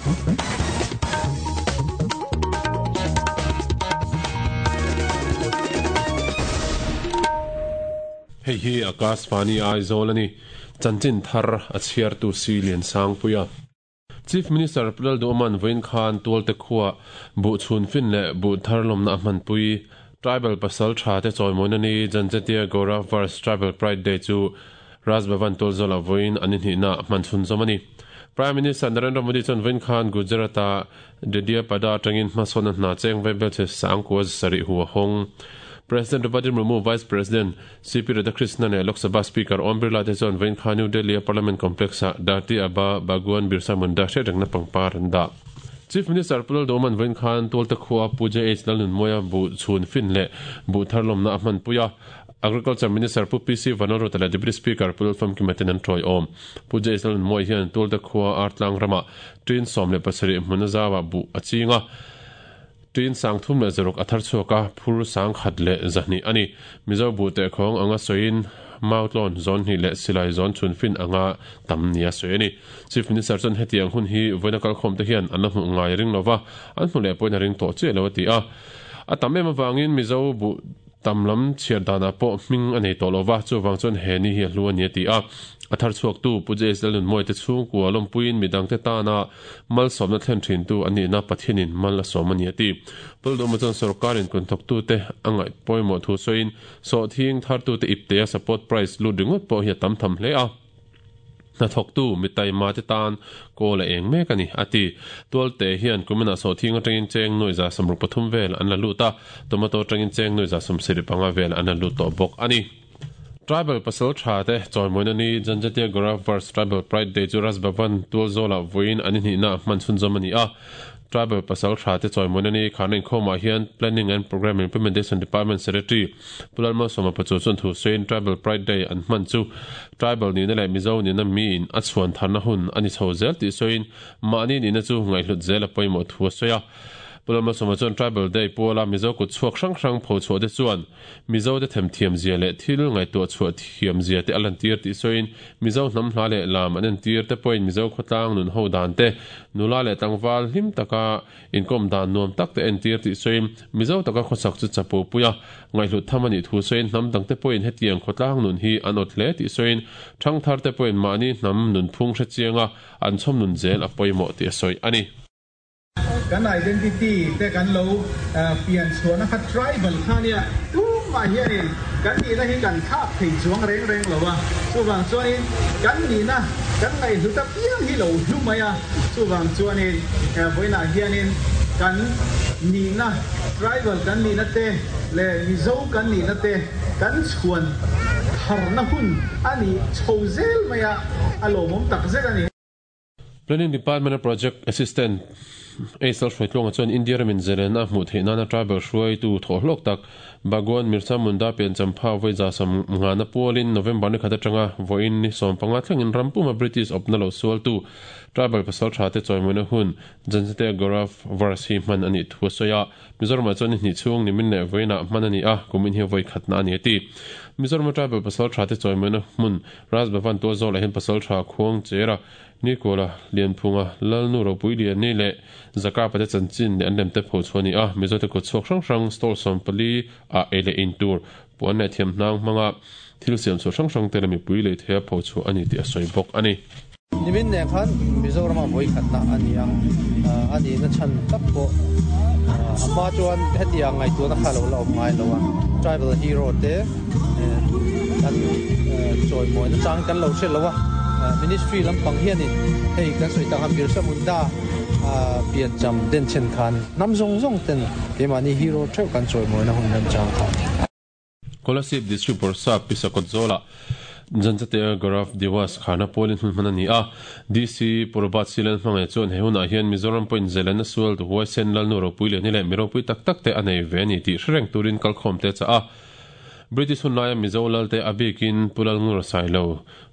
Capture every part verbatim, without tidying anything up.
Hei hi Akashvani Aizawl ani chanchin thar a chhiar tu si lian sang puia Chief Minister Pulal Duman Vain Khan tualte khuwa bu chhun fin le bu tharlom na hman pui Tribal pasal tha te choimoina ni Janjatia Gaurav Vars Tribal Pride Day chu Raj Bhavan Tulzola Vain ani hi na hman chhun zomani Prime Minister Narendra Modi chon Vain Khan Gujarata Dediapada tangin hmasona na cheng vaibel che sangko sari huwa hong President Draupadi Murmu, Vice President C P Radhakrishnan le Lok Sabha Speaker Om Birla te chuan Vain Khan New Delhi Parliament Complex a Dharti Aba Bhagwan Birsa Munda hriat pangpar an dah. Chief Minister Pulal Duman Vain Khan tualte khuwa Puja H Lalnun Moya bu chhun fin le bu tharlom na hman puia Agriculture Minister Pu P C Vanoro le Deputy Speaker Pulal Famkimaten an thoi om. Puja H Lalnun Moya hian tualte khuwa Artlang rama tin som le pasarih hmunazawa bu achinga tin sang thum le zarok athar chuaka phur sang khat le zahni ani Mizo bu te khong anga soin mautlon zon hi le silai zon chun fin anga tam nia soini Chief Minister chon hetiang hun hi voinakal khom te hian an hmu ngai ring lova an hmu le poina ring to che lo ti a atam em awangin Mizo bu tamlam chiar dana po hming anei to lova chuwang chon he ni hi hlu ani ti a athar chuak tu Puja Lalnun Moi te chung ku alom puin midang te ta na mal somna thlen thin tu ani na Pathianin mal som ani ti puldo ma chon sarkarin kun thok tu te angai poimo thu soin so thing thar tu te ipte support price lu dingot po hi tam tham hle a na thok tu mitai ma te tan ko la eng mek ani ati tualte hian kumina so thing atangin cheng noi za samru pathum vel an la luta tomato atangin cheng noi za som siri panga vel an la lut to bok ani Tribal pasal tha te choimoina ni Janjatia Gaurav Vars Tribal Pride Day chu Raj Bhavan Tualzola voin ani ni na hman chhun zomani a Tribal pasal tha te choimoina ni khanin khoma hian Planning and Program Implementation Department Secretary Pulalma Soma Pachu chun thu soin Tribal Pride Day an hman chu Tribal ni na le Mizo ni na mi in a chuan tharna hun ani chho zel ti soin mani ni na chu ngaihlut zel a poimo thu soya Pulalma Soma chon Tribal Day pola Mizo ku chuak hrang hrang pho chu de chuan Mizo te them thiam zia le thil ngai to chu thiam zia te alan tir ti soin Mizo hnam hla le lam an tir te point Mizo khotlang nun ho dan te nula le tangwal hlim taka inkom dan nuam tak te en tir ti soin Mizo taka khosak chu chapo puya ngai hlu thamani thu soin hnam dang te point hetiang khotlang nun hi anot hle ti soin thang thar te point mani hnam nun phung hre chianga an chom nun zel a poimo ti soi ani kan identity te kan lo pian chuan kha tribal khania tu ma hianin kan ni na hi kan thak thei chuang reng reng lowa chuwang chuanin kan ni na kan ngai hluta piang hi lo hlumaya chuwang chuanin voina hianin kan ni na tribal kan ni na te le Mizo kan ni na te kan chuan tharna hun ani chhozel maya alomom takzel ani Planning Department Project Assistant Aisal Shwaitlong chuan India ramin zelena hmu theihna na tribal hruai tu thawhlawk tak Bhagwan Birsa Munda pian champha vawiza sam ngana pualin November ni khat atanga vawiin ni sawm panga thlengin rampuma British awpna lo sual tu tribal pasal tha te chawimawina hun Janjatia Gaurav Vars hi hman ani thu soya Mizoram chuan ni chhung ni min le vawiinah hman ani a kumin hi vawi khatna ani ati Mizoram tribal pasal tha te chawimawina hmun Raj Bhavan Tualzawlah hian pasal tha khuang chera Nikola Lianphunga Lalnu Ropui Lian ni le Zaka pate chanchin le an lem te pho chuani a Mizo te ko chhuak hrang hrang stall sawm pali a ele in tur puan le thiam hnang hmanga thil siam chu hrang hrang te le mipui lei thea pho chu ani ti a sawi bawk ani nimin ne khan Mizoram a vawi khatna ani a ani na chan tak pawh ama chuan hetiang ngai tuan a kha lo la awm ngai lo a tribal hero te kan chawimawi na chang kan lo hre lo a ministry lampang hianin hei kan soi tanga Birsa Munda pian cham den chen khan nam zong zong ten kemani hero theu kan chawimawi na hun lam chang kha Kolasib District Borsa Pisakot Zola Janjatia Gaurav Diwas khana polin hun hman ani a D C Purbat Silan hmangai chuan he hunah hian Mizoram point zelena sual tu huaisen Lalnu Ropui Lian ni le Miropui tak tak te anei ve ani tih hrereng turin kalkhawm te cha a British hun laia Mizo lal te abikin Pulal Ngur Sailo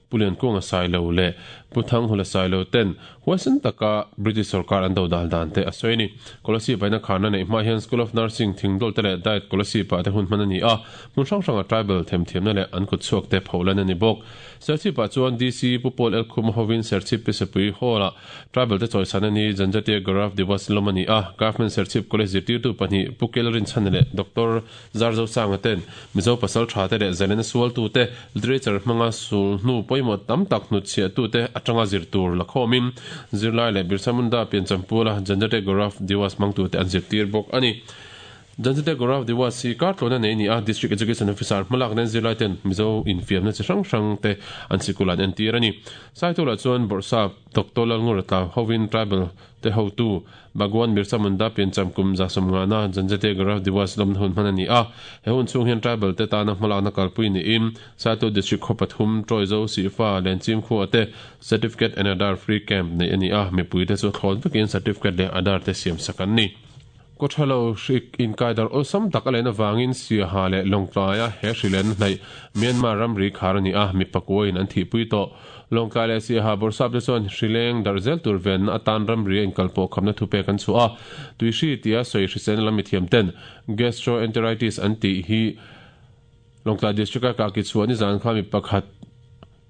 Pulian Kunga Sailo le Pu Thanghula Sailo ten huaisen taka British sarkar an do dal dan te a sawi a ni. Kolasib aina kharna neih hma hian School of Nursing Thingdawl te leh Diet Kolasib ah te hun hman a ni a, hmun hrang hranga tribal themthiamna leh an kut chhuak te pholan a ni bawk. Serchhip ah chuan D C Pu Paul L Khuma hovin Serchhip Pisapui Hall ah tribal te chawisan a ni. Janjatia Gaurav Diwas lawm a ni a, Government Serchhip College zirtirtu pahnih Pu Kel Rinchhan leh Doctor Zarzo Sanga ten Mizo pasal tha te leh zalena sualtu te literature hmanga sul hnu pawimawh tam tak hnutchhiahtu te atanga zir tur la khawmin zirlai leh Birsa Munda pianchampula Janjatia Gaurav Diwas hmangtu te an zirtir bawk a ni. Janjatia Gaurav Diwas hi kartlawna nei ni a, District Education Officer hmalak nen zirlai ten Mizo infiamna chi hrang hrang te an sikul an entir a ni. Saitula chuan Bawrhsap Doctor Lalngurata hovin tribal te hotu Bhagwan Birsa Munda piancham kum za sawmngana Janjatia Gaurav Diwas lawmna hun hman a ni a, he hun chhung hian tribal te tana hmalakna kalpui niin Saitu District khaw pathum Troizo Sifa Lenchim khuah te Certificate and Aadhaar Free Camp nei a ni a, mipui te chu thlawn vekin Certificate leh Aadhaar te siam sak an ni. Kawthalo hrik inkaidar awlsam tak a len avangin Siaha leh Lawngtlaia he hrilen hnaih Myanmar ramri khar a ni a, mi pakuain an thihpui tawh. Lawngtlai leh Siaha Bawrhsap te chuan hrileng darh zel tur venna atan ramri a inkalpawh khamna thupek an chhuah a, tuihri tia sawi hriselna lam mithiam ten gastroenteritis an tih hi Lawngtlai District a kahki chhuah nizan kha mi pakhat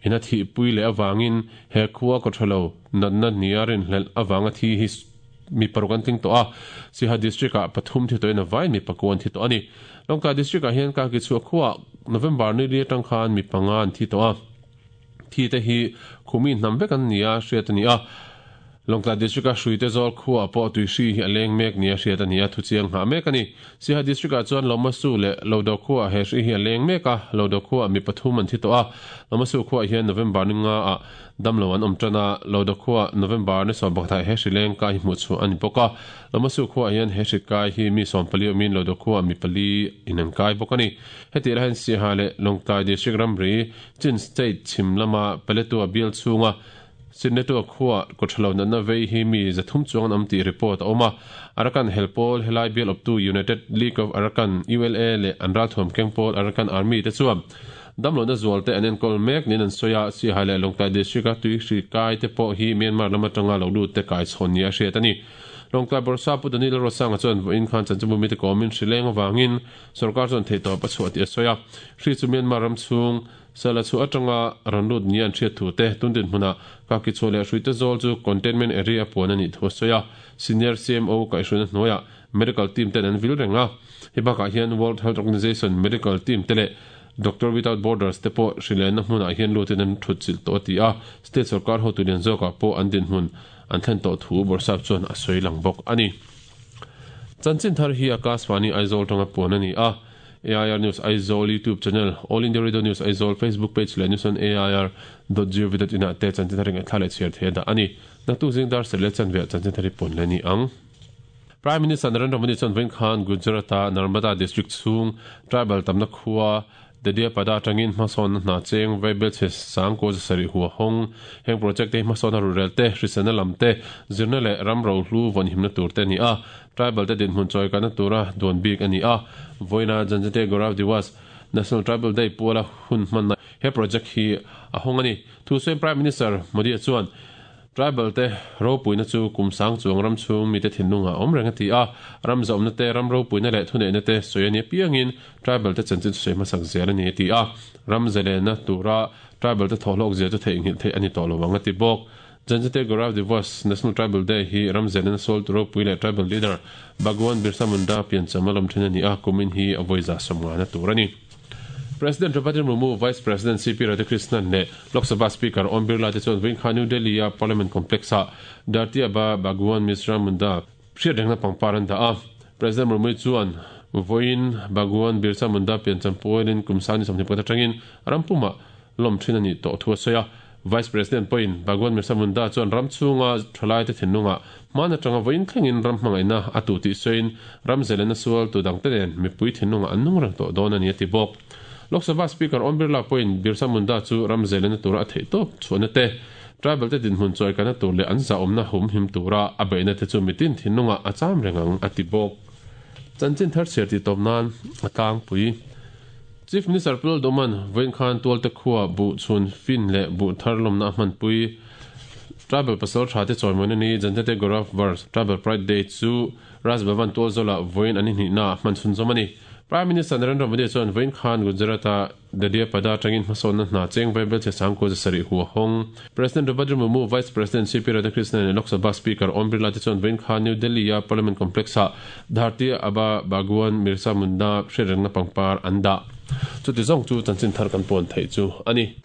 ina thihpui leh avangin he khua kawthalo natna nia rinhlelh avanga thi hi mi paruk an tling tawh a, Siaha District ah pathum thi tawhin a vain mi pakua an thi tawh a ni. Lawngtlai District ah hian kahki chhuah khuah November ni li atang khan mi panga an thi tawh a, thi te hi khumi hnam vek an ni a hriat a ni a. Lawngtlai District a hruite zawl khuah pawh tuihri hi a leng mek ni a hriat a ni a, thuchiang nghah mek a ni. Siaha District ah chuan Lomasu leh Lodo khuah he hri hi a leng mek a, Lodo khuah mi pathum an thi tawh a, Lomasu khuah hian November ni nga ah damlo an awm tan a, Lodo khuah November ni sawm pakhat he hri leng kai hi hmuh chhuah a ni bawk a, Lomasu khuah hian he hri kai hi mi sawm pali awmin Lodo khuah mi pali in an kai bawk a ni. Heti lahin Siaha leh Lawngtlai District ramri Chin State chhim lama Paletua bial chhunga Sinnetua khuah kawthalo natna vei hi mi zathum chuang an awm tih report a awm a, Arakan helpawl helai bial awptu United League of Arakan U L A leh an ralthuam kengpawl Arakan Army te chuan damlohna zual te an enkawl mek niin an sawi a, Siaha leh Lawngtlai District a tuihri kai te pawh hi Myanmar lam atanga lo lut te kai chhawn ni a hriat a ni. Lawngtlai Bawrhsap Pu Daniel Rosanga chuan vawiin khan chanchinbu mite kawmin hrileng avangin sarkar chuan theihtawp a chhuah tih a sawi a, hri chu Myanmar ram chhung sala chu atanga rawn lut ni an hriat thu te tundin hmunah kahki chhuah leh hruite zawl chu containment area puan a nih thu a sawi a, Senior C M O kaihhruina hnuaiah medical team ten an vil reng a, hei bakah hian World Health Organization medical team te leh Doctor Without Borders te pawh hrilenna hmunah hian lutin an thut chilh tawh a ti a, state sarkar hotu lian zawkah pawh an dinhmun an thlen tawh thu Bawrhsap chuan a sawi lang bawk a ni. Chanchin thar hi Akashvani Aizawl tanga puan a ni a, A I R News Aizawl YouTube channel, All India Radio News Aizawl Facebook page leh news on A I R dot gov dot in ah te chanchin thar eng thla leh chhiar thei a dah a ni. Naktuk zing dar serh leh chanve ah chanchin thar hi puan leh ni ang. Prime Minister Narendra Modi chuan vawiin khan Gujarat-a Narmada District chhung tribal tamna khua Dediapada atangin hmasawnna hna cheng vaibel chhe sang kaw zasarih hua hawng heng project te hi hmasawnna rurel te hriselna lam te zirna leh ram rohlu vawnhimna tur te a ni a, tribal te dinhmun chawi kalna tura duan bik a ni a, vawiina Janjatia Gaurav Diwas National Tribal Day puala hun hmanna he project hi a hawng a ni. Thusawiin Prime Minister Modi chuan tribal te ropuina chu kum sang chuang ram chhung mite thinlunga awm reng a ti a, ram zawmna te ram ropuina leh thuneihna te sawi a ni apiangin tribal te chanchin sawi hmasak zel a ni a ti a, ram zelena tura tribal te thawhlawk zel chu theihnghilh theih a ni tawh lo ang a ti bawk. Janjatia Gaurav Diwas National Tribal Day hi ram zelena sawl tu ropui leh tribal leader Bhagwan Birsa Munda piancham a lawm thin a ni a, kumin hi a vawiza sawmngana tur a ni. President Draupadi Murmu, Vice President C P Radhakrishnan leh Lok Sabha Speaker Om Birla te chuan vawiin kha New Delhi a Parliament Complex ah Dharti Aba Bhagwan Birsa Munda hriat rengna pangpar an dah a. President Murmu chuan vawiin Bhagwan Birsa Munda piancham pualin kum sang ni sawmhnih pakhat atangin rampuma lawm thin a ni tawh thu a sawi a. Vice President pawhin Bhagwan Birsa Munda chuan ram chhunga thalai te thinlunga hman atanga vawiin thlengin ram hmangaihna a tu tih sawiin ram zelena sual tu dang te nen mipui thinlunga an nung reng tawh dawn a ni a ti bawk. Lok Sabha Speaker Om Birla pawhin Birsa Munda chu ram zelena tura a theih tawp chhuahna te tribal te dinhmun chawi kalna tur leh an zahawmna hum him tura a beihna te chu mitin thinlunga a cham reng ang a ti bawk. Chanchin thar chhiar tih tawp nan a tlangpui. Chief Minister Pu Lalduhoma'n vawiin khan tualte khuah buh chhun fin leh buh thar lawmna a hmanpui. Tribal pasaltha te chawimawina ni Janjatiya Gaurav Varsh Tribal Pride Day chu Raj Bhavan tualzawlah vawiin an inhnihna hman chhunzawm a ni. Prime Minister Narendra Modi chuan vawiin khan Gujarat-a Dediapada atangin hmasawnna hna cheng vai belchhe sangkua za sarih hu a hawng. President Draupadi Murmu, Vice President C P Radhakrishnan leh Lok Sabha Speaker Om Birla te chuan vawiin khan New Delhi-a Parliament Complex-ah Dharti Aba Bhagwan Birsa Munda hriatrengna pangpar an dah. Chuti zawng chu chanchin thar kan pawn theih chu a ni.